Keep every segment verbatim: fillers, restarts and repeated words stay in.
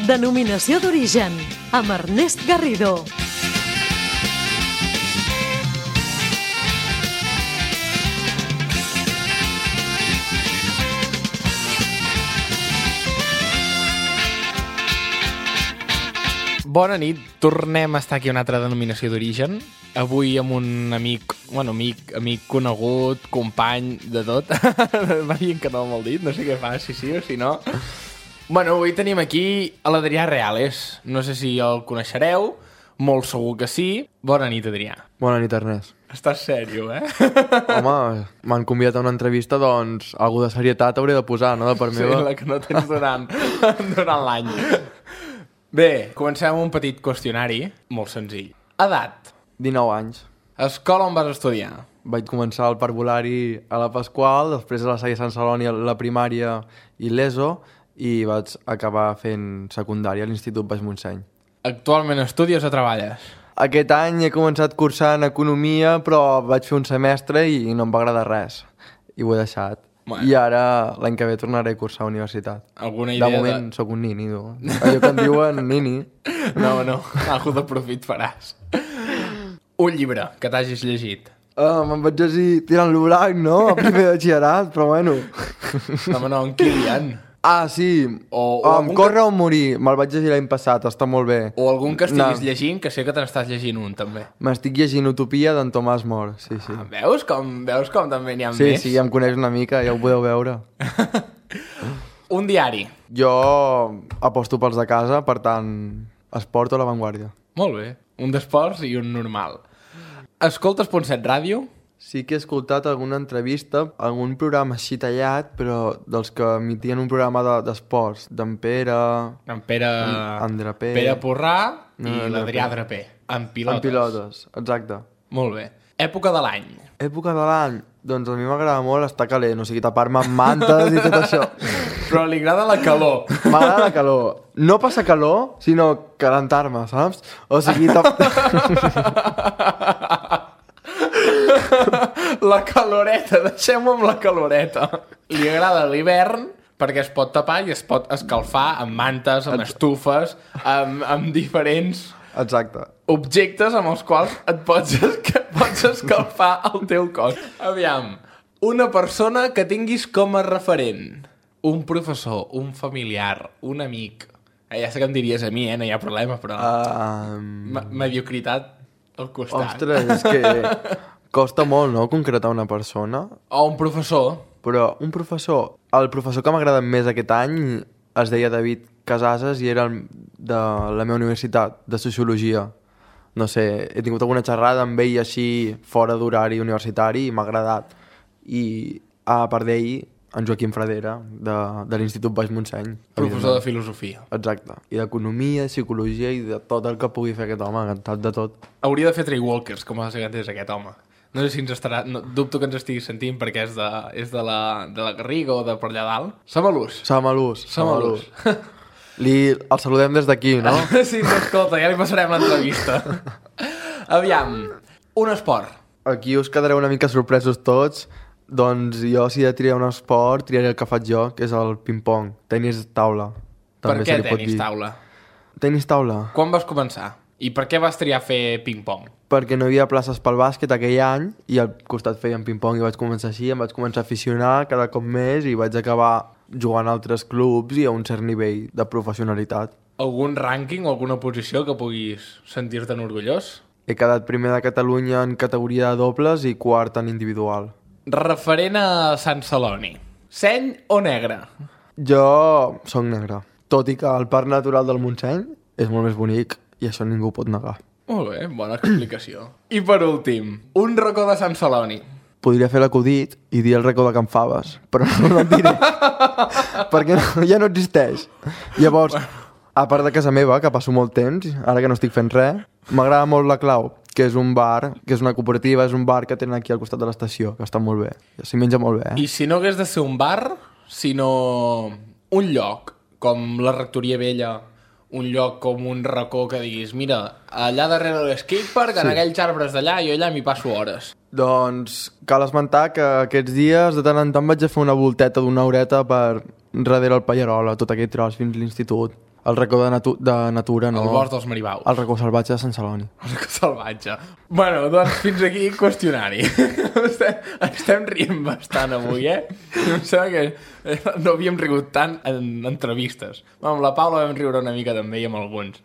Denominació d'origen, amb Ernest Garrido. Bona nit, tornem a estar aquí a una altra denominació d'origen. Avui amb un amic, bueno, amic, amic conegut, company, de tot. Va dient que no m'ho dit, no sé què fa, si sí o si no. Bueno, avui tenim aquí a l'Adrià Reales. No sé si el coneixereu, molt segur que sí. Bona nit, Adrià. Bona nit, Ernest. Estàs sèrio, eh? Home, m'han convidat a una entrevista, doncs algú de serietat hauré de posar, no? De part meva. Sí, la que no tens durant, durant l'any. Bé, comencem amb un petit qüestionari, molt senzill. Edat. dinou anys. Escola on vas estudiar? Vaig començar el parvulari a la Pasqual, després a la Salle Sant Celoni la primària i l'ESO, i vaig acabar fent secundària a l'Institut Baix Montseny. Actualment estudies o treballes? Aquest any he començat cursant Economia, però vaig fer un semestre i no em va agradar res, i ho he deixat. Bueno. I ara, l'any que ve, tornaré a cursar a universitat. Alguna idea de moment, de... sóc un nini, tu. Allò que em diuen nini. No, no, algú de profit faràs. Un llibre que t'hagis llegit. Uh, me'n vaig llegir Tirant-lo blanc, no? A primer de batxillerat, però bueno. No, no, en Kilian. Ah, sí. O, o um, Corre que... o morir. Me'l vaig llegir l'any passat, està molt bé. O algun que estiguis no. llegint, que sé que te n'estàs llegint un, també. M'estic llegint Utopia d'en Tomàs More, sí, sí. Ah, veus com, veus com també n'hi ha sí, més? Sí, sí, ja em coneix una mica, ja ho podeu veure. Un diari. Jo aposto pels de casa, per tant, esport o La Vanguardia. Molt bé. Un d'esports i un normal. Escoltes Punt set Ràdio? Sí que he escoltat alguna entrevista, algun programa així tallat, però dels que emitien un programa d'esports, de, d'en Pere... En Pere... En Drapé... Pere Porrà i no, l'Adrià Drapé. En pilotes. En pilotes, exacte. Molt bé. Època de l'any. Època de l'any? Doncs a mi m'agrada molt estar calent, o sigui, tapar-me amb mantes i tot això. Però li agrada la calor. M'agrada la calor. No passa calor, sinó calentar-me, saps? O sigui... Tap... La caloreta, deixem-ho amb la caloreta. Li agrada l'hivern perquè es pot tapar i es pot escalfar amb mantes, amb estufes, amb, amb diferents Exacte. objectes amb els quals et pots, pots escalfar el teu cos. Aviam, una persona que tinguis com a referent. Un professor, un familiar, un amic. Eh, ja sé que em diries a mi, eh? No hi ha problema, però... Um... Mediocritat al costat. Ostres, és que... Costa molt, no?, concretar una persona. O un professor. Però un professor... El professor que m'agrada més aquest any es deia David Casases i era de la meva universitat, de Sociologia. No sé, he tingut alguna xerrada amb ell així fora d'horari universitari i m'ha agradat. I a part d'ell, en Joaquim Fradera, de, de l'Institut Baix Montseny. Professor de filosofia. Exacte. I d'economia, psicologia i de tot el que pugui fer aquest home, encantat de tot. Hauria de fer Traywalkers, com els és aquest home. No sé si ens estarà... No, dubto que ens estigui sentint perquè és de, és de, la, de la Garriga o de per allà dalt. Samalús. Samalús. Samalús. Li, el saludem des d'aquí, no? Sí, escolta, ja li passarem l'entrevista. Aviam, un esport. Aquí us quedareu una mica sorpresos tots. Doncs jo, si he de triar un esport, triaré el que faig jo, que és el ping-pong. Tenis taula. Per què tenis taula? Tenis taula. Quan vas començar? I per què vas triar fer ping-pong? Perquè no hi havia places pel bàsquet aquell any i al costat feien ping-pong i vaig començar així, em vaig començar a aficionar cada cop més i vaig acabar jugant a altres clubs i a un cert nivell de professionalitat. Algun rànquing o alguna posició que puguis sentir-te'n orgullós? He quedat primer de Catalunya en categoria de dobles i quart en individual. Referent a Sant Celoni, seny o negre? Jo soc negre, tot i que el Parc Natural del Montseny és molt més bonic i això ningú pot negar. Molt bé, bona explicació. I per últim, un racó de Sant Celoni. Podria fer l'acudit i dir el racó de Can Faves, però no el diré, perquè no, ja no existeix. Llavors, a part de casa meva, que passo molt temps, ara que no estic fent res, m'agrada molt La Clau, que és un bar, que és una cooperativa, és un bar que tenen aquí al costat de l'estació, que està molt bé. S'hi menja molt bé, eh? I si no hagués de ser un bar, sinó un lloc, com la Rectoria Vella, un lloc com un racó que diguis, mira, allà darrere de l'skatepark, en sí. aquells arbres d'allà, jo allà m'hi passo hores. Doncs cal esmentar que aquests dies de tant en tant vaig a fer una volteta d'una horeta per darrere el Pallarola, tot aquell tros fins a l'institut. El racó de, natu de natura, no. El bosc dels Maribaus. El racó salvatge de Sant Celoni. El racó salvatge. Bueno, doncs fins aquí qüestionari. estem, estem rient bastant avui, eh? Em sembla que no havíem rigut tant en entrevistes. Amb la Paula vam riure una mica també i amb alguns.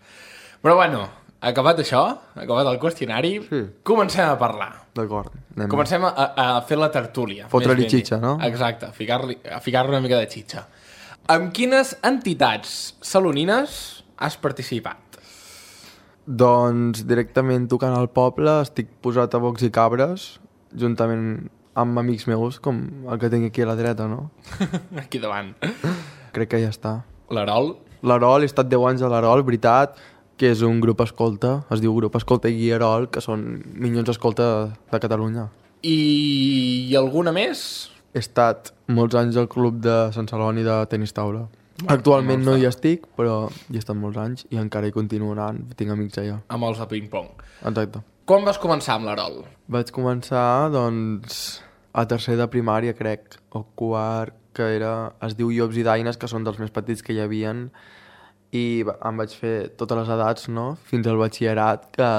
Però bueno, acabat això, acabat el qüestionari, sí. Comencem a parlar. D'acord. Comencem a, a fer la tertúlia. Fotre-li xitxa, no? Exacte, a ficar-li ficar una mica de xitxa. Amb quines entitats salonines has participat? Doncs directament tocant al poble estic posat a bocs i cabres, juntament amb amics meus, com el que tinc aquí a la dreta, no? Aquí davant. Crec que ja està. L'Arol? L'Arol, he estat deu anys a l'Arol, veritat, que és un grup escolta, es diu Grup Escolta i Guia Arol, que són minyons escolta de Catalunya. I, I alguna més? He estat molts anys al club de Sant Celoni de tenis taula. Bueno, actualment no hi estic, però hi he estat molts anys i encara hi continuo anant, tinc amics allà. Amb els de ping-pong. Exacte. Quan vas començar amb l'Arol? Vaig començar, doncs, a tercer de primària, crec, o quart, que era, es diu Llops i Daines, que són dels més petits que hi havien, i em vaig fer totes les edats, no?, fins al batxillerat, que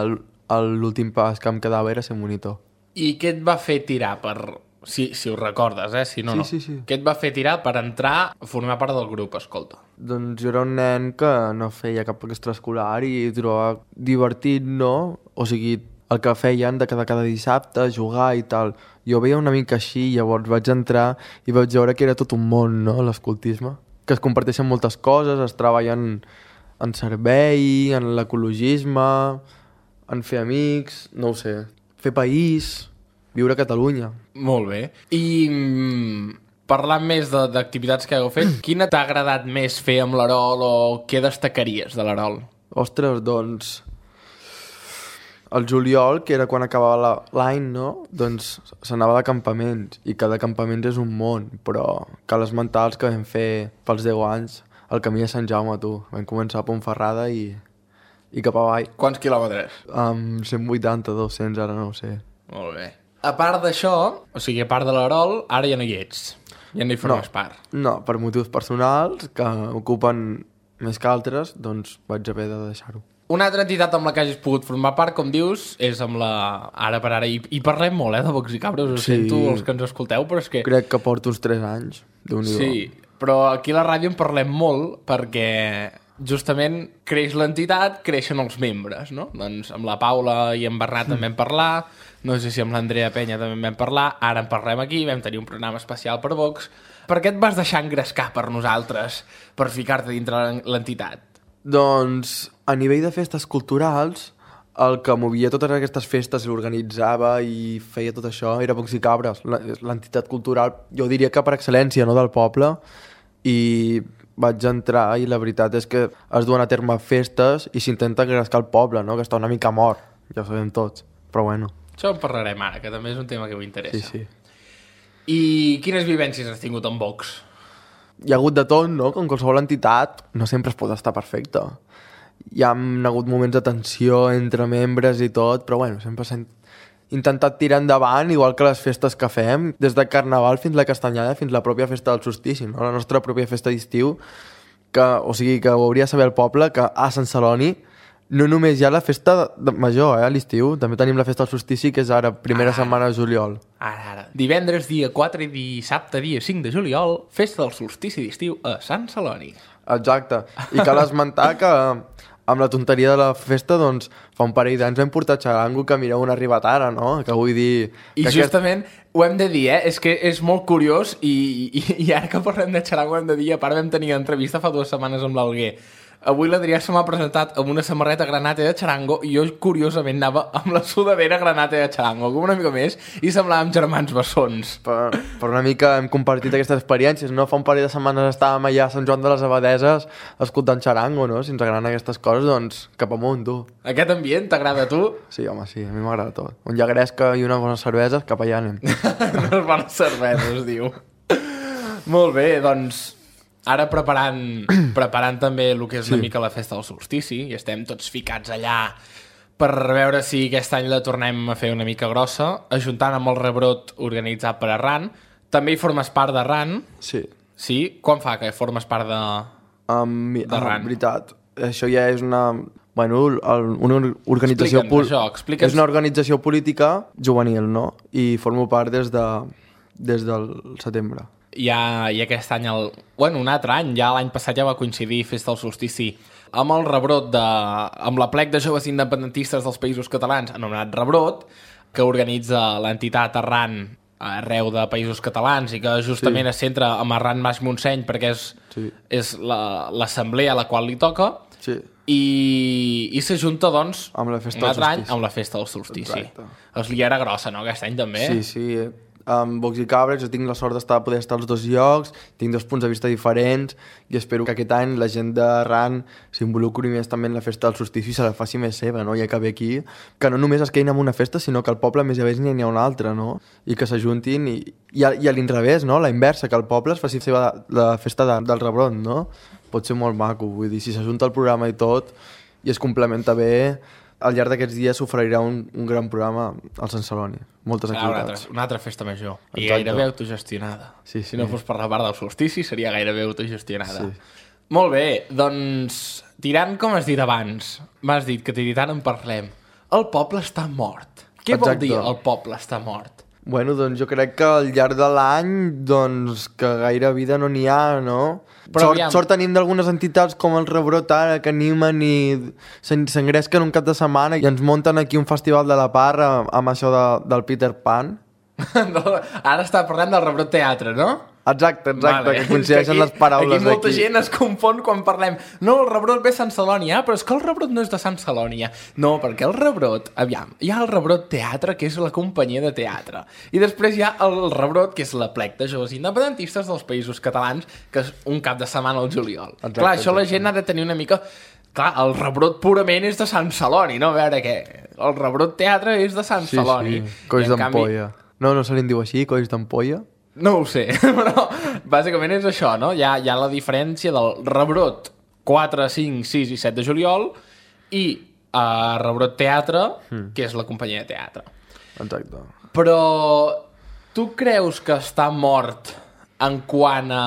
l'últim pas que em quedava era ser monitor. I què et va fer tirar per... Si, si ho recordes, eh? Si no, sí, no. Sí, sí. Què et va fer tirar per entrar a formar part del grup, escolta? Doncs jo era un nen que no feia cap extraescolar i trobava divertit, no? O sigui, el que feien de cada, cada dissabte, jugar i tal. Jo veia una mica així, llavors vaig entrar i vaig veure que era tot un món, no?, l'escoltisme. Que es comparteixen moltes coses, es treballen en servei, en l'ecologisme, en fer amics, no ho sé, fer país... Viure a Catalunya. Molt bé. I mm, parlant més d'activitats que heu fet, quina t'ha agradat més fer amb l'Arol o què destacaries de l'Arol? Ostres, doncs... El juliol, que era quan acabava l'any, no? Doncs s'anava de campaments, i cada campament és un món, però cal esmentar els que vam fer pels deu anys al camí de Sant Jaume, tu. Vam començar a Pontferrada i, i cap avall. Quants quilòmetres? Um, cent vuitanta, dos-cents, ara no ho sé. Molt bé. A part d'això, o sigui, a part de l'Arol, ara ja no hi ets. Ja no hi formes no, part. No, per motius personals que ocupen més que altres, doncs vaig haver de deixar-ho. Una altra entitat amb la que hagis pogut formar part, com dius, és amb la... Ara per ara, i, i parlem molt, eh, de bocs i cabres, ho sí. Sento, els que ens escolteu, però és que... Crec que porto uns tres anys, déu-n'hi-do. Sí, però aquí a la ràdio en parlem molt perquè justament creix l'entitat, creixen els membres, no? Doncs amb la Paula i en Bernat mm. també vam parlar, no sé si amb l'Andrea Penya també en vam parlar, ara en parlem aquí, vam tenir un programa especial per Vox. Per què et vas deixar engrescar per nosaltres per ficar-te dintre l'entitat? Doncs a nivell de festes culturals, el que movia totes aquestes festes, l'organitzava i feia tot això, era Vox i Cabres, l'entitat cultural, jo diria que per excel·lència, no, del poble, i vaig entrar i la veritat és que es duen a terme festes i s'intenta engrescar el poble, no?, que està una mica mort, ja ho sabem tots, però bueno. Això en parlarem ara, que també és un tema que m'interessa. Sí, sí. I quines vivències has tingut amb Vox? Hi ha hagut de tot, no? Com qualsevol entitat, no sempre es pot estar perfecte. Hi ha hagut moments de tensió entre membres i tot, però bueno, sempre s'ha intentat tirar endavant, igual que les festes que fem, des de Carnaval fins la Castanyada, fins la pròpia festa del solstici, no? La nostra pròpia festa d'estiu, que, o sigui, que ho hauria de saber el poble, que a Sant Celoni no només hi ha la festa de major, eh, a l'estiu, també tenim la festa del solstici, que és ara, primera ah, setmana de juliol. Ara, ara. Divendres, dia quatre, i dissabte, dia cinc de juliol, festa del solstici d'estiu a Sant Celoni. Exacte. I cal esmentar que amb la tonteria de la festa, doncs, fa un parell d'anys vam portar xarango, que mireu on ha arribat ara, no? Que vull dir... I que justament aquest... ho hem de dir, eh? És que és molt curiós i, i, i ara que parlem de xarango hem de dir, a part vam tenir entrevista fa dues setmanes amb l'Alguer. Avui l'Adrià se m'ha presentat amb una samarreta granate de xarango i jo, curiosament, anava amb la sudadera granate de xarango, com una mica més, i semblàvem germans bessons. Per, per una mica hem compartit aquestes experiències, no? Fa un parell de setmanes estàvem allà a Sant Joan de les Abadeses escoltant xarango, no? Si ens agraden aquestes coses, doncs cap amunt, tu. Aquest ambient t'agrada a tu? Sí, home, sí, a mi m'agrada tot. On hi ha gresca i unes bones cerveses, cap allà anem. Unes bones cerveses, diu. Molt bé, doncs... Ara preparant, preparant també el que és una sí. mica la festa del solstici, i estem tots ficats allà per veure si aquest any la tornem a fer una mica grossa, ajuntant amb el rebrot organitzat per Arran. També hi formes part d'Arran. Sí. Sí? Quan fa que formes part de... Um, d'Arran. Ah, veritat. Això ja és una... Bueno, el, una organització... Explica'ns això, explica'ns. És una organització política juvenil, no? I formo part des, de, des del setembre. Ja, i aquest any, el, bueno, un altre any, ja l'any passat ja va coincidir Festa del Solstici amb el rebrot de... amb la plec de joves independentistes dels Països Catalans, anomenat Rebrot, que organitza l'entitat Arran arreu de Països Catalans i que justament sí. es centra amb Arran Baix Montseny perquè és, sí. és l'assemblea la, a la qual li toca sí. i, i s'ajunta, doncs, amb la festa un altre any solstici. amb la Festa del Solstici. Exacte. Es li era grossa, no?, aquest any també. Sí, sí. Amb Vox i Cabres jo tinc la sort d'estar poder estar als dos llocs, tinc dos punts de vista diferents i espero que aquest any la gent d'Arran s'involucri més també en la festa del solstici i se la faci més seva, no? Ja que ve aquí, que no només es quedin en una festa, sinó que al poble més a més n'hi ha una altra, no? I que s'ajuntin i, i, a, i a l'inrevés, no? La inversa, que el poble es faci seva la festa de, del Rebrot, no? Pot ser molt maco, vull dir, si s'ajunta el programa i tot i es complementa bé, al llarg d'aquests dies s'oferirà un, un gran programa al Sant Celoni. Moltes ah, activitats. Una altra, una altra festa major. I Exacte. gairebé autogestionada. Sí, sí. Si no fos per la part del solstici, seria gairebé autogestionada. Sí. Molt bé, doncs, tirant com has dit abans, m'has dit que tirant en parlem. El poble està mort. Què Exacte. vol dir el poble està mort? Bueno, doncs jo crec que al llarg de l'any, doncs, que gaire vida no n'hi ha, no? Però sort, aviam. sort tenim d'algunes entitats com el Rebrot ara, que animen i s'engresquen un cap de setmana i ens munten aquí un festival de la parra amb això de, del Peter Pan. Ara està parlant del Rebrot Teatre, no? Exacte, exacte, Vale. que coincideixen aquí, les paraules aquí molta d'aquí. gent es confon quan parlem no, el Rebrot ve a Sant Celoni, ah, però és que el Rebrot no és de Sant Celoni, no, perquè el Rebrot, aviam, hi ha el Rebrot Teatre, que és la companyia de teatre, i després hi ha el Rebrot, que és la plec de joves independentistes dels Països Catalans, que és un cap de setmana al juliol. Exacte, clar, això exacte. la gent ha de tenir una mica... Clar, el Rebrot purament és de Sant Celoni, no? A veure què, el Rebrot Teatre és de Sant Sí, Celoni. sí, colls I en canvi- d'ampolla. No, no se li en diu així, colls d'ampolla? No ho sé, però bàsicament és això, no? Hi ha, hi ha la diferència del Rebrot quatre, cinc, sis i set de juliol i uh, Rebrot Teatre, mm. que és la companyia de teatre. Exacte. Però tu creus que està mort en quant a...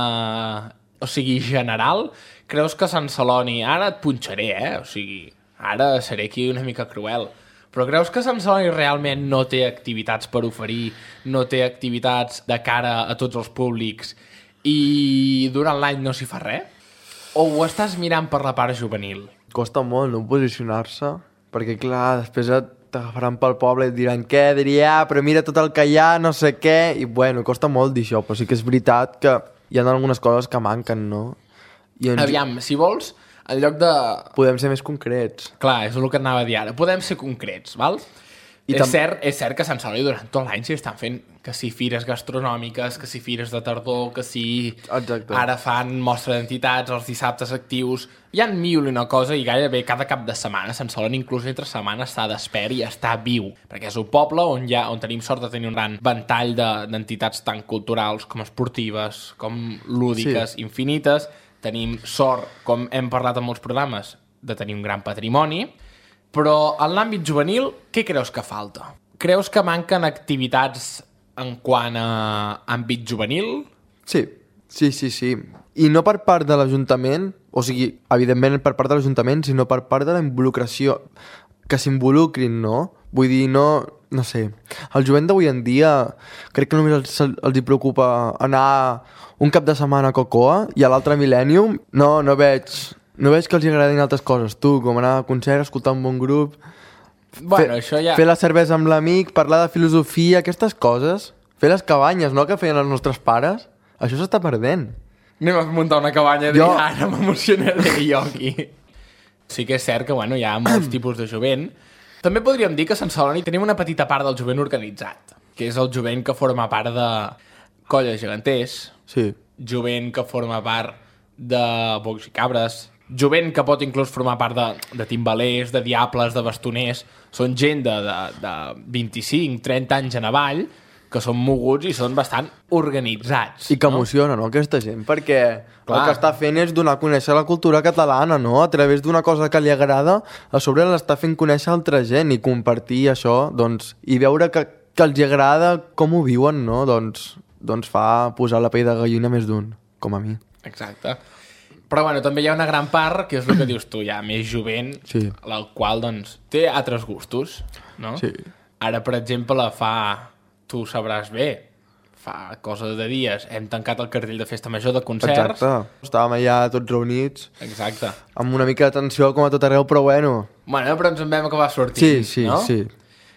o sigui, general? Creus que Sant Celoni... Ara et punxaré, eh? O sigui, ara seré aquí una mica cruel. Però creus que Sant Celoni realment no té activitats per oferir, no té activitats de cara a tots els públics i durant l'any no s'hi fa res? O ho estàs mirant per la part juvenil? Costa molt no posicionar-se, perquè clar, després et t'agafaran pel poble i et diran què, Adrià, però mira tot el que hi ha, no sé què, i bueno, costa molt dir això, però sí que és veritat que hi ha algunes coses que manquen, no? I ens... Aviam, si vols, en lloc de... Podem ser més concrets. Clar, és el que et anava a dir ara. Podem ser concrets, val? I és, tam... cert, és cert que a Sant Celoni durant tot l'any s'hi estan fent que si fires gastronòmiques, que si fires de tardor, que si Exacte. Ara fan mostra d'entitats, els dissabtes actius... Hi ha mil i una cosa i gairebé cada cap de setmana Sant Celoni inclús entre setmana està despert i està viu, perquè és un poble on, hi ha, on tenim sort de tenir un gran ventall d'entitats tant culturals com esportives, com lúdiques, sí. infinites. Tenim sort, com hem parlat en molts programes, de tenir un gran patrimoni, però en l'àmbit juvenil, què creus que falta? Creus que manquen activitats en quant a àmbit juvenil? Sí, sí, sí, sí. I no per part de l'Ajuntament, o sigui, evidentment per part de l'Ajuntament, sinó per part de la involucració, que s'involucrin, no? Vull dir, no... No sé, el jovent d'avui en dia crec que només els, els hi preocupa anar un cap de setmana a Cocoa i a l'altre Millennium. No, no veig, no veig que els agradin altres coses. Tu, com anar a concert, escoltar un bon grup, bueno, fer, això ja... fer la cervesa amb l'amic, parlar de filosofia, aquestes coses. Fer les cabanyes, no?, que feien els nostres pares. Això s'està perdent. Anem a muntar una cabanya Jo- de ara m'emocionaré jo aquí. Sí que és cert que bueno, hi ha molts tipus de jovent. També podríem dir que a Sant Celoni tenim una petita part del jovent organitzat, que és el jovent que forma part de colles geganters, Sí, jovent que forma part de bocs i cabres, jovent que pot inclús formar part de, de timbalers, de diables, de bastoners. Són gent de, de, de vint-i-cinc trenta anys en avall, que són moguts i són bastant organitzats. i que no? emociona, no?, aquesta gent, perquè Clar. el que està fent és donar a conèixer la cultura catalana, no?, a través d'una cosa que li agrada, a sobre l'està fent conèixer altra gent i compartir això, doncs, i veure que, que els agrada com ho viuen, no?, doncs, doncs fa posar la pell de gallina més d'un, com a mi. Exacte. Però bueno, també hi ha una gran part, que és el que dius tu, ja més jovent, Sí. el qual doncs té altres gustos, no? Sí. Ara, per exemple, fa... Tu sabràs bé, fa cosa de dies hem tancat el cartell de festa major de concerts. Exacte. Estàvem allà tots reunits. Exacte. Amb una mica de tensió com a tot arreu, però bueno. Bueno, però ens en vam acabar sortint, Sí, sí, no? sí.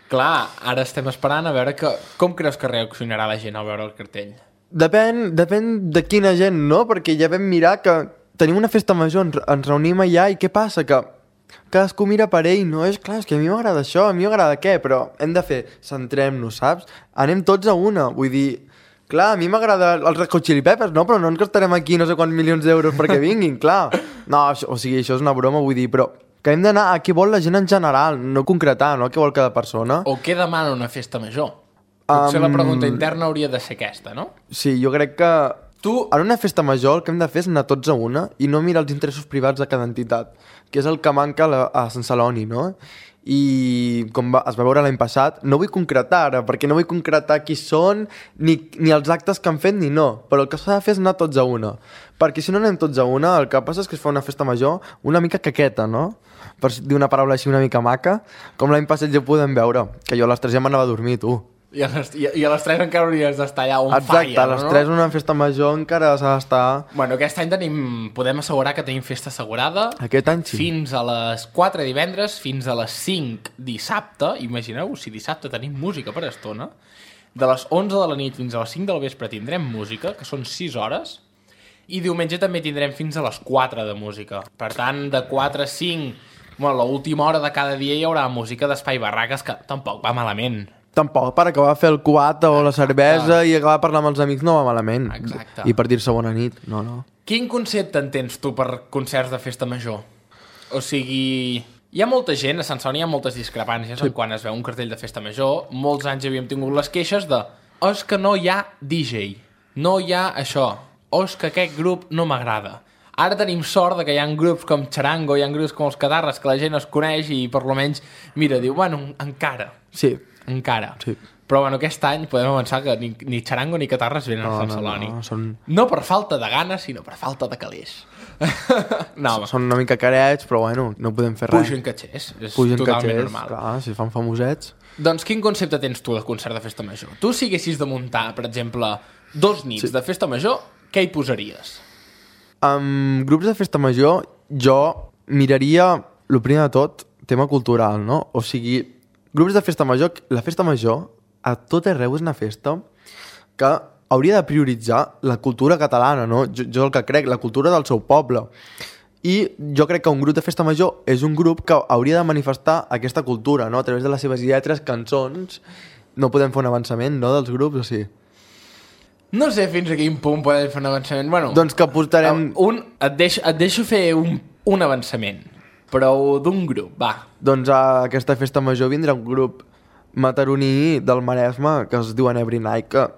Clar, ara estem esperant a veure que, com creus que reaccionarà la gent al veure el cartell? Depèn, depèn de quina gent, no? Perquè ja vam mirar que tenim una festa major, ens, ens reunim allà i què passa? Que cadascú mira per ell, no? És clar, és que a mi m'agrada això, a mi m'agrada què, però hem de fer, centrem-nos, saps? Anem tots a una, vull dir, clar, a mi m'agrada els Red Hot Chili Peppers, no? Però no ens gastarem aquí no sé quants milions d'euros perquè vinguin, clar. No, això, o sigui, això és una broma, vull dir, però que hem d'anar a què vol la gent en general, no concretar, no? A què vol cada persona. O què demana una festa major? Potser Um, la pregunta interna hauria de ser aquesta, no? Sí, jo crec que Tu... en una festa major el que hem de fer és anar tots a una i no mirar els interessos privats de cada entitat, que és el que manca a, la, a Sant Celoni, no? I com va, es va veure l'any passat, no vull concretar ara, perquè no vull concretar qui són, ni, ni els actes que han fet, ni no, però el que s'ha de fer és anar tots a una, perquè si no anem tots a una, el que passa és que es fa una festa major una mica caqueta, no? Per dir una paraula així una mica maca, com l'any passat ja podem veure, que jo a les tres ja m'anava a dormir, tu. I a les, i, i a les tres encara hauries d'estar allà on Exacte, falla, a les no? tres una festa major encara s'ha d'estar... Bueno, aquest any tenim, podem assegurar que tenim festa assegurada. Aquest any sí. Fins a les quatre divendres, fins a les cinc dissabte. Imagineu, si dissabte tenim música per estona. De les onze de la nit fins a les cinc del vespre tindrem música, que són sis hores. I diumenge també tindrem fins a les quatre de música. Per tant, de quatre a cinc, bueno, l'última hora de cada dia hi haurà música d'Espai Barraques, que tampoc va malament. Tampoc per acabar a fer el cuat o la cervesa i acabar a parlar amb els amics no va malament. Exacte. I per dir-se bona nit, no, no. Quin concepte entens tu per concerts de festa major? O sigui, hi ha molta gent, a Sant Celoni hi ha moltes discrepàncies sí. en quan es veu un cartell de festa major. Molts anys havíem tingut les queixes de oh, és que no hi ha D J, no hi ha això, o és que aquest grup no m'agrada. Ara tenim sort de que hi ha grups com Charango, hi ha grups com els Catarres, que la gent es coneix i per lo menys, mira, diu, bueno, encara. Sí. Encara. Sí. Però bueno, aquest any podem avançar que ni, ni Charango ni Catarres venen No, a Sant no, Celoni. no, són- No per falta de ganes, sinó per falta de calés. no, home, Són una mica carets, però bueno, no podem fer res. pugen catxers. És Pugen totalment catxers, normal. clar, si fan famosets. Doncs quin concepte tens tu de concert de festa major? Tu si haguessis de muntar, per exemple, dos nits Sí. de festa major, què hi posaries? Amb grups de festa major, jo miraria, el primer de tot, tema cultural, no? O sigui, grups de festa major, la festa major, a tot arreu és una festa que hauria de prioritzar la cultura catalana, no? Jo, jo el que crec, la cultura del seu poble. I jo crec que un grup de festa major és un grup que hauria de manifestar aquesta cultura, no? A través de les seves lletres, cançons. No podem fer un avançament, no?, dels grups, o sí? No sé fins a quin punt podem fer un avançament. Bueno, Doncs que portarem... un, et, deixo, et deixo fer un, un avançament, però d'un grup, va. Doncs a aquesta festa major vindrà un grup mataroní del Maresme que es diuen Every Night, que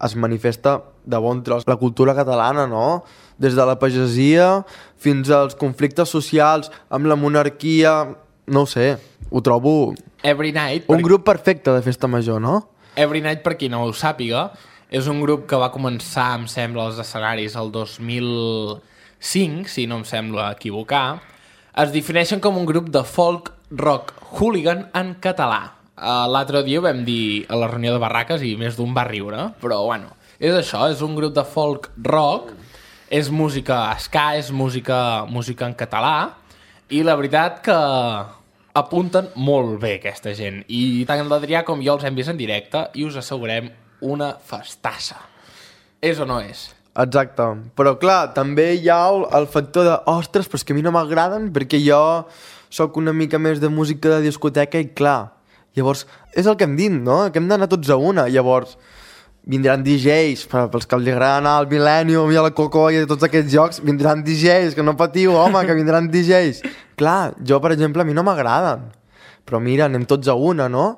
es manifesta de bon tros la cultura catalana, no? Des de la pagesia fins als conflictes socials amb la monarquia, no ho sé, ho trobo Every Night... un grup perfecte de festa major, no? Every Night, per qui no ho sàpiga, és un grup que va començar, em sembla, als escenaris el dos mil cinc, si no em sembla equivocar. Es defineixen com un grup de folk rock hooligan en català. Uh, L'altre dia ho vam dir a la reunió de barraques i més d'un va riure, però bueno, és això, és un grup de folk rock, és música ska, és música, música en català, i la veritat que apunten molt bé aquesta gent. I tant l'Adrià com jo els hem vist en directe i us assegurem una festassa. És o no és? Exacte, però clar, també hi ha el, el factor de ostres, però és que a mi no m'agraden perquè jo sóc una mica més de música de discoteca i clar, llavors és el que hem dit, no? Que hem d'anar tots a una, llavors vindran D Js, per, pels que li agrada anar al Millennium i a la Coco i a tots aquests jocs, vindran D Js, que no patiu, home, que vindran D Js. Clar, jo, per exemple, a mi no m'agraden, però mira, anem tots a una, no?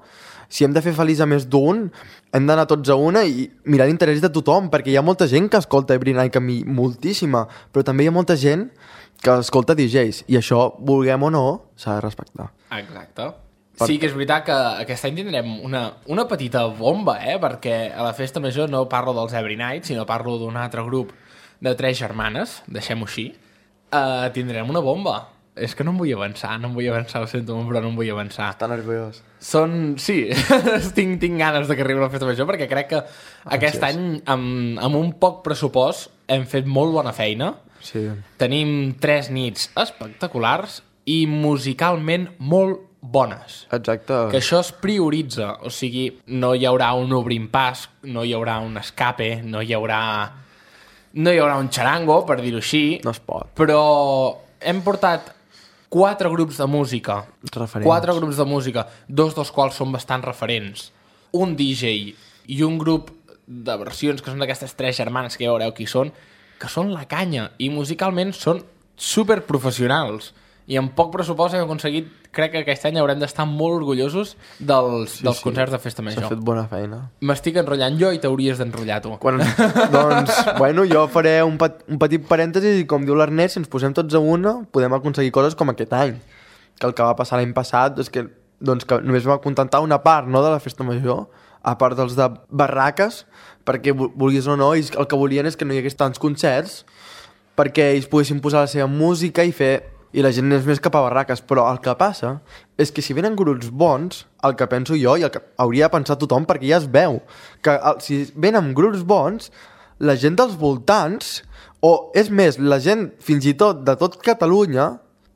Si hem de fer feliç a més d'un, hem d'anar tots a una i mirar l'interès de tothom, perquè hi ha molta gent que escolta Every Night, que a mi moltíssima, però també hi ha molta gent que escolta D Js, i això, vulguem o no, s'ha de respectar. Exacte. Sí que és veritat que aquest any tindrem una, una petita bomba, eh? Perquè a la festa major no parlo dels Every Night, sinó parlo d'un altre grup de tres germanes, deixem-ho així, Uh, tindrem una bomba. És que no em vull avançar, no em vull avançar, ho sento, però no em vull avançar. Està nerviós. Són... Sí, tinc, tinc ganes de que arribi la festa major perquè crec que aquest any, amb, amb un poc pressupost, hem fet molt bona feina. Sí. Tenim tres nits espectaculars i musicalment molt bones. Exacte. Que això es prioritza, o sigui, no hi haurà un obrint pas, no hi haurà un escape, no hi haurà... No hi haurà un xarango, per dir-ho així. No es pot. Però hem portat quatre grups de música. Referents. Quatre grups de música, dos dels quals són bastant referents. Un D J i un grup de versions, que són d'aquestes tres germanes, que ja veureu qui són, que són la canya, i musicalment són superprofessionals. I amb poc pressupost hem aconseguit, crec que aquest any haurem d'estar molt orgullosos dels, Sí, dels sí. concerts de festa major. S'ha fet bona feina. M'estic enrotllant jo i t'hauries d'enrotllar tu. Quan, doncs, bueno, jo faré un, pet, un petit parèntesi i com diu l'Ernest, si ens posem tots a una, podem aconseguir coses com aquest any. Que el que va passar l'any passat és que, doncs, que només va acontentar una part, no, de la festa major, a part dels de barraques, perquè vulguis o no, ells el que volien és que no hi hagués tants concerts, perquè ells poguessin posar la seva música i fer... i la gent és més cap a barraques, però el que passa és que si venen grups bons, el que penso jo i el que hauria de pensar tothom, perquè ja es veu, que el, si venen grups bons, la gent dels voltants, o és més, la gent fins i tot de tot Catalunya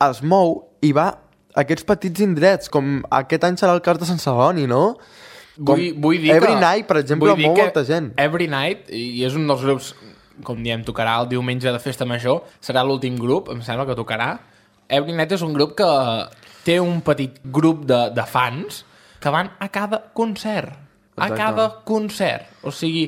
es mou i va a aquests petits indrets, com aquest any serà el cas de Sant Celoni, no? Com Vull, vull dir Every que, Night, per exemple, vull dir mou que molta gent. Every Night, i és un dels grups, com diem, tocarà el diumenge de festa major, serà l'últim grup, em sembla que tocarà. Every Night és un grup que té un petit grup de, de fans que van a cada concert. A Exacte. cada concert. O sigui,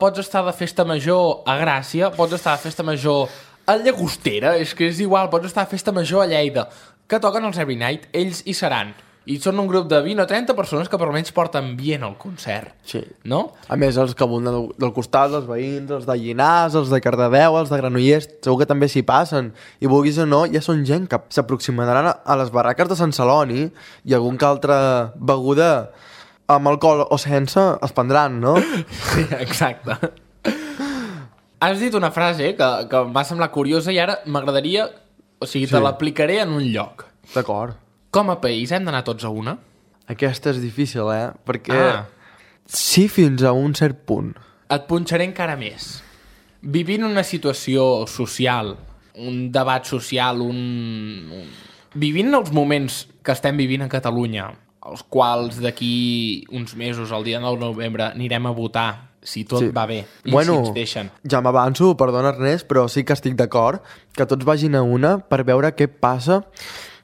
pots estar de festa major a Gràcia, pots estar de festa major a Llagostera, és que és igual, pots estar de festa major a Lleida, que toquen els Every Night, ells hi seran. I són un grup de vint o trenta persones que per almenys porten ambient al concert. Sí. No? A més, els que abunden del, del costat, els veïns, els de Llinars, els de Cardedeu, els de Granollers, segur que també s'hi passen. I vulguis o no, ja són gent que s'aproximaran a, a les barraques de Sant Celoni i algun que altra beguda amb alcohol o sense es prendran, no? Sí, exacte. Has dit una frase que, que em va semblar curiosa i ara m'agradaria... O sigui, te Sí. l'aplicaré en un lloc. D'acord. Com a país hem d'anar tots a una? Aquesta és difícil, eh? Perquè Ah. sí, fins a un cert punt. Et punxaré encara més. Vivint una situació social, un debat social, un... un... Vivint els moments que estem vivint a Catalunya, els quals d'aquí uns mesos, el dia nou de novembre, anirem a votar, si tot Sí. va bé, i Bueno, si ens deixen. ja m'avanço, perdona Ernest, però sí que estic d'acord que tots vagin a una per veure què passa,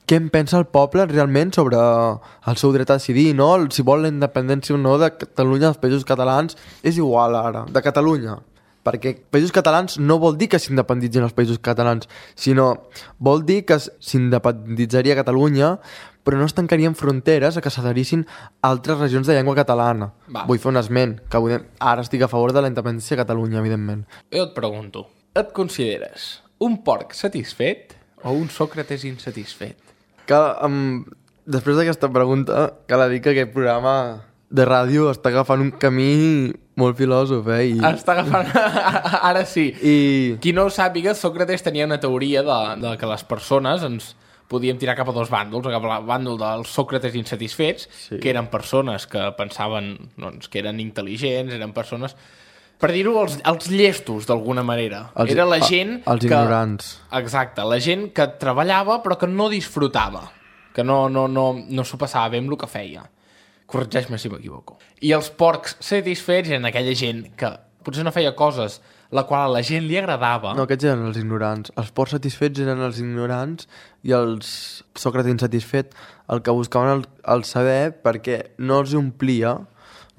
què en pensa el poble realment sobre el seu dret a decidir, no? Si vol la independència o no de Catalunya, dels països catalans, és igual ara, de Catalunya. Perquè països catalans no vol dir que s'independitzin els països catalans, sinó vol dir que s'independitzaria Catalunya, però no es tancarien fronteres a que s'adherissin altres regions de llengua catalana. Va. Vull fer un esment, que vull... ara estic a favor de la independència de Catalunya, evidentment. Jo et pregunto, et consideres un porc satisfet o un Sòcrates insatisfet? Que, um, després d'aquesta pregunta, cal dir que aquest programa de ràdio està agafant un camí molt filòsof, eh? I, Està agafant... Ara sí. i Qui no ho sàpiga, Sòcrates tenia una teoria de, de que les persones ens podíem tirar cap a dos bàndols, cap al bàndol dels Sòcrates insatisfets, Sí. que eren persones que pensaven doncs, que eren intel·ligents, eren persones... Per dir-ho, els, els llestos, d'alguna manera. Els- Era la a- gent els que... ignorants. Exacte, la gent que treballava però que no disfrutava, que no, no, no, no s'ho passava bé amb el que feia. Corregeix-me si m'equivoco. I els porcs satisfets eren aquella gent que potser no feia coses la qual a la gent li agradava. no, aquests eren els ignorants. Els porcs satisfets eren els ignorants i els Sòcrates insatisfets el que buscaven el, el saber perquè no els omplia,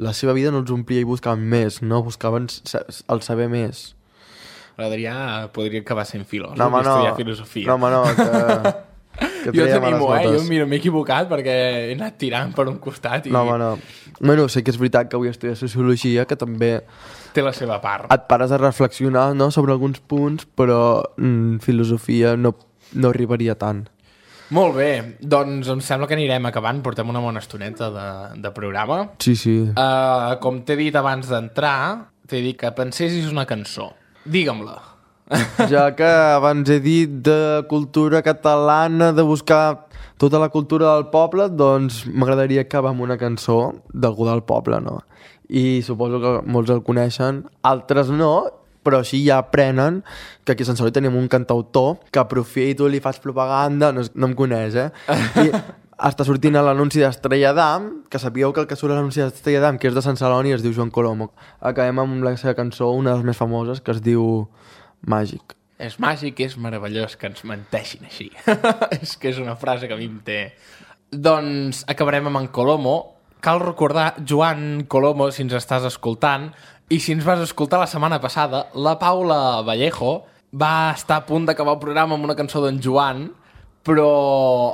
la seva vida no els omplia i buscaven més, no? Buscaven sa- el saber més. L'Adrià podria acabar sent filòsof No, home, i no. estudiar filosofia. No, home, no, que... que jo treia males t'animo, eh? Jo, notes. mira, m'he equivocat perquè he anat tirant per un costat i No, home, no. Bueno, sé que és veritat que avui estudiar Sociologia, que també té la seva part. et pares a reflexionar, no?, sobre alguns punts, però mm, filosofia no, no arribaria tant. Molt bé, doncs em sembla que anirem acabant, portem una bona estoneta de, de programa. Sí, sí. Uh, com t'he dit abans d'entrar, t'he dit que pensessis una cançó. Digue-me-la. Ja que abans he dit de cultura catalana, de buscar tota la cultura del poble, doncs m'agradaria acabar amb una cançó d'algú del poble, no? I suposo que molts el coneixen, altres no, però així ja aprenen que aquí a Sant Celoni tenim un cantautor que aprofito, li faig propaganda, no, no em coneix, eh? I està sortint a l'anunci d'Estrella d'Am, que sabíeu que el que surt a l'anunci d'Estrella d'Am, que és de Sant Celoni, es diu Joan Colomo. Acabem amb la seva cançó, una de les més famoses, que es diu Màgic. És màgic, és meravellós que ens menteixin així. És que és una frase que a mi em té... Doncs acabarem amb en Colomo. Cal recordar, Joan Colomo, si ens estàs escoltant, i si ens vas escoltar la setmana passada, la Paula Vallejo va estar a punt d'acabar el programa amb una cançó d'en Joan, però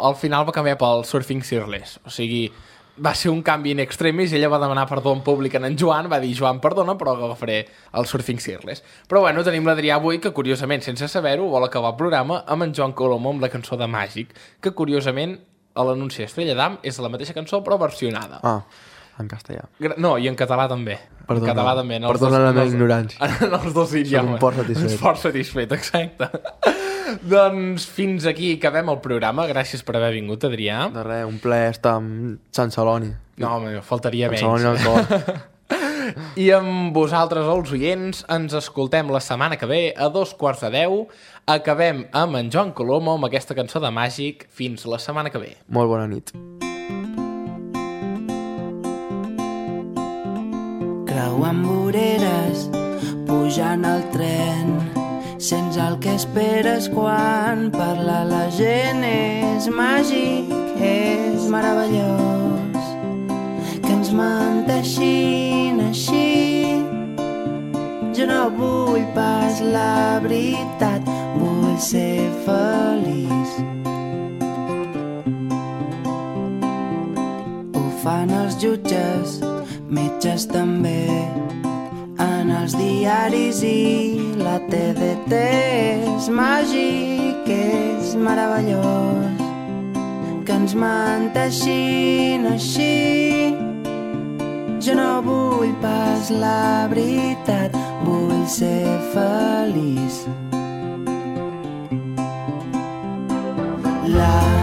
al final va canviar pel Surfing Shirtless. O sigui, va ser un canvi in extremis i ella va demanar perdó en públic en en Joan, va dir, Joan, perdona, però agafaré el Surfing Shirtless. Però bueno, tenim l'Adrià avui, que curiosament, sense saber-ho, vol acabar el programa amb en Joan Colomo, amb la cançó de Màgic, que curiosament a l'anunci d'Estrella d'Am és la mateixa cançó però versionada. Ah, en castellà. No, i en català també. Perdona, en català també. perdona la meva ignorància. En els dos idiomes. Soc un fort satisfet. Fort satisfet, exacte. Doncs fins aquí acabem el programa. Gràcies per haver vingut, Adrià. De res, un plaer estar amb Sant Celoni. No, home, faltaria menys. Sant Celoni al cor. I amb vosaltres, els oients, ens escoltem la setmana que ve a dos quarts de deu. Acabem amb en Joan Colomo amb aquesta cançó de Màgic. Fins la setmana que ve. Molt bona nit. Creuant voreres, pujant al tren, sents el que esperes quan parla la gent. És màgic, és meravellós, que ens menteixin així. Jo no vull pas la veritat, vull ser feliç. Ho fan els jutges, metges també, en els diaris i la T D T. És màgic, és meravellós, que ens menteixin així. Jo no vull pas la veritat, vull ser feliç. La